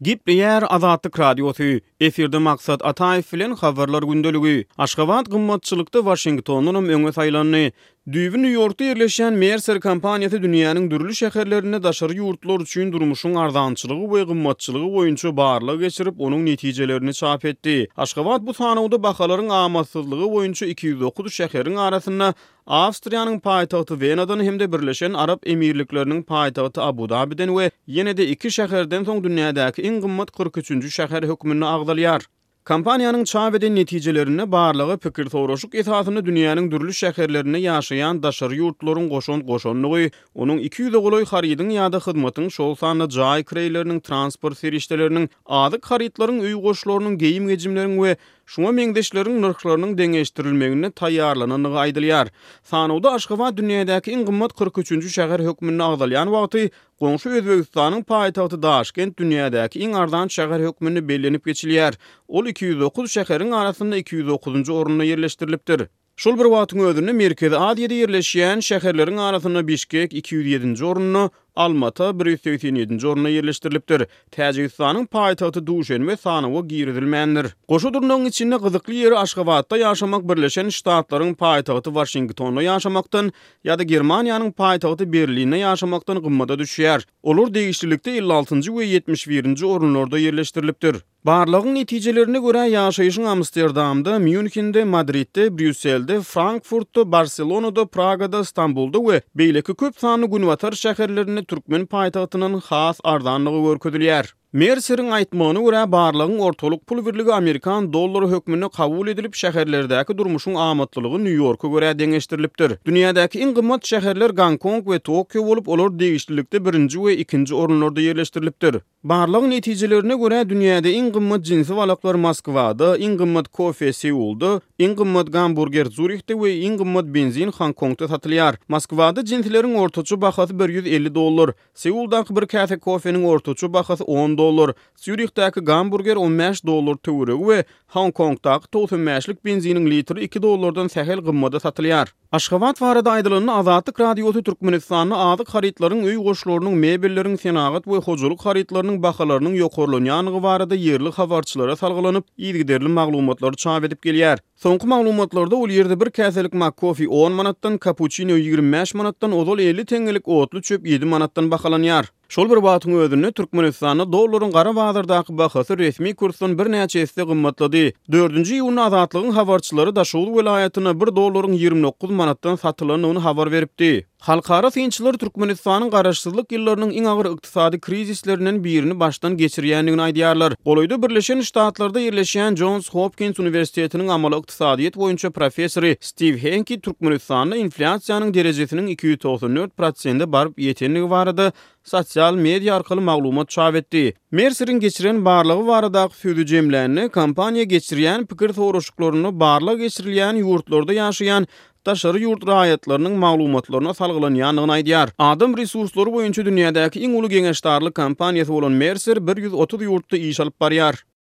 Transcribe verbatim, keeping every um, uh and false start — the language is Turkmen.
Gepleýär Azatlyk Radiosy, efirde Maksat Ataýew bilen Habarlar gündeligi. Aşgabat gymmatçylykda Waşingtondanam öňe saýlandy. Düýbi Nýu-Ýorkda ýerleşýän Mercer kompaniýasy dünýäniň dürli şäherlerinde daşary ýurtlular üçin durmuşyň arzançylygy we gymmatçylygy boýunça barlag geçirip, onuň netijelerini çap etdi. Aşgabat bu sanawda bahalaryň amatsyzlygy boýunça iki ýüz dokuz şäheriň arasynda Awstriýanyň paýtagty Wenadan hem-de Birleşen Arap Emirlikleriniň paýtagty Abu-Dabiden we ýene-de iki şäherden soň dünýädäki iň gymmat kyrk üçünji şäher hökmünde agzalýar. Kompaniýanyň çap eden netijelerinde barlaga pikir soraşyk esasynda dünýäniň dürli şäherlerinde ýaşaýan daşary ýurtlaryň goşant goşandygy, onuň iki ýüze golaý harydyň ýa-da hyzmatyň, şol sanda jaý kireýleriniň, transport serişdeleriniň, azyk harytlaryň, öý goşlarynyň, geýim-gejimleriň we şuňa meňzeşleriň nyrhlarynyň deňeşdirilmeginde taýýarlanandygy aýdylýar. Sanawda Aşgabat dünýädäki iň gymmat kyrk üçünji şäher hökmünde agzalýan wagty, goňşy Özbegistanyň paýtagty Daşkent dünýädäki iň arzan şäher hökmünde bellenip geçilýär. Ol iki ýüz dokuz şäheriň arasynda iki ýüz dokuzynjy orunda ýerleşdirilipdir. Şol bir wagtyň özünde Merkezi Aziýada ýerleşýän şäherleriň arasynda Bişkek iki ýüz ýedinji orunda, Almata bir ýüz segsen ýedinji orunda ýerleşdirilipdir. Täjigistanyň paýtagty Duşenbe sanawa girizilmändir. Goşa durnagyň içinde gyzykly ýeri Aşgabatda ýaşamak Birleşen Ştatlaryň paýtagty Waşingtonda ýaşamakdan ýa-da Germaniýanyň paýtagty Berlinde ýaşamakdan gymmada düşýär. Olar degişlilikde elli altynjy we ýetmiş birinji orunlarda ýerleşdirilipdir. Barlagyň netijelerine görä, ýaşaýşyň Amsterdamda, Mýunhende, Madridde, Brýusselde, Frankfurtda, Barselonada, Pragada, Stambulda we beýleki köp sanly günbatar şäherlerinde türkmen paýtagtyndan has arzanlygy görkezilýär. Merseriň aýtmagyna görä, barlagyň ortalyk pul birligi amerikan dollary hökmünde kabul edilip, şäherlerdäki durmuşyň amatlylygy Nýu-Ýorka görä deňeşdirilipdir. Dünýädäki iň gymmat şäherler Gonkong we Tokio bolup, olar degişlilikde birinji we ikinji orunlarda ýerleşdirilipdir. Barlagyň netijelerine görä, dünýäde iň gymmat jinsi balaklar Moskwada, iň gymmat kofe Seulda, iň gymmat gamburger Zürihde we iň gymmat benzin Honkongda satylýar. Moskwada jinsileriň ortaça bahasy bir ýüz elli dollar, Seuldaky bir käse kofeniň ortaça bahasy on dollar, Sýurihdäki gamburger on bäş dollar töweregi we Honkongdaky togsan bäşlik benziniň litri iki dollardan sähel gymmada satylýar. Aşgabat barada aýdylanda, Azatlyk Radiosy Türkmenistanda azyk harytlaryň, öý goşlarynyň, mebelleriň, senagat we hojalyk harytlarynyň bahalarynyň ýokarlanýandygy barada ýerli habarçylara salgylanyp, yzygiderli maglumatlary çap edip gelýär. Soňky maglumatlarda ol ýerde bir käselik McCoffee on manatdan, kapuçino ýigrimi bäş manatdan, ozal elli teňňelik otly çöp ýedi manatdan bahalanýar. Şol bir wagtyň özünde Türkmenistanda dollaryň gara bazardaky bahasy resmi kursdan birnäçe esse gymmatlady. Dördünji iýunda Azatlygyň habarçylary Daşoguz welaýatynda bir dollaryň ýigrimi dokuz manatdan satylandygyny habar beripdi. Halkara synçylar Türkmenistanyň garaşsyzlyk ýyllarynyň iň agyr ykdysady krizislerinden birini başdan geçirýändigini aýdýarlar. Golaýda Birleşen Ştatlarda ýerleşýän Jons Hopkins uniwersitetiniň amaly ykdysadyýet boýunça professory Stiw Henki Türkmenistanda inflýasiýanyň derejesiniň iki ýüz togsan dört prosente baryp ýetendigi barada sosial media arkaly maglumat çap etdi. Merseriň geçiren barlagy baradaky sözi jemlände, kompaniýa geçirýän pikir soraşyklarynda barlag geçirilýän ýurtlarda ýaşaýan daşary ýurt raýatlarynyň maglumatlaryna salgylanýandygyny aýdýar. Adam resurslary boýunça dünýädäki iň uly geňeşdarlyk kompaniýasy bolan Mercer bir ýüz otuz ýurtda iş alyp barýar.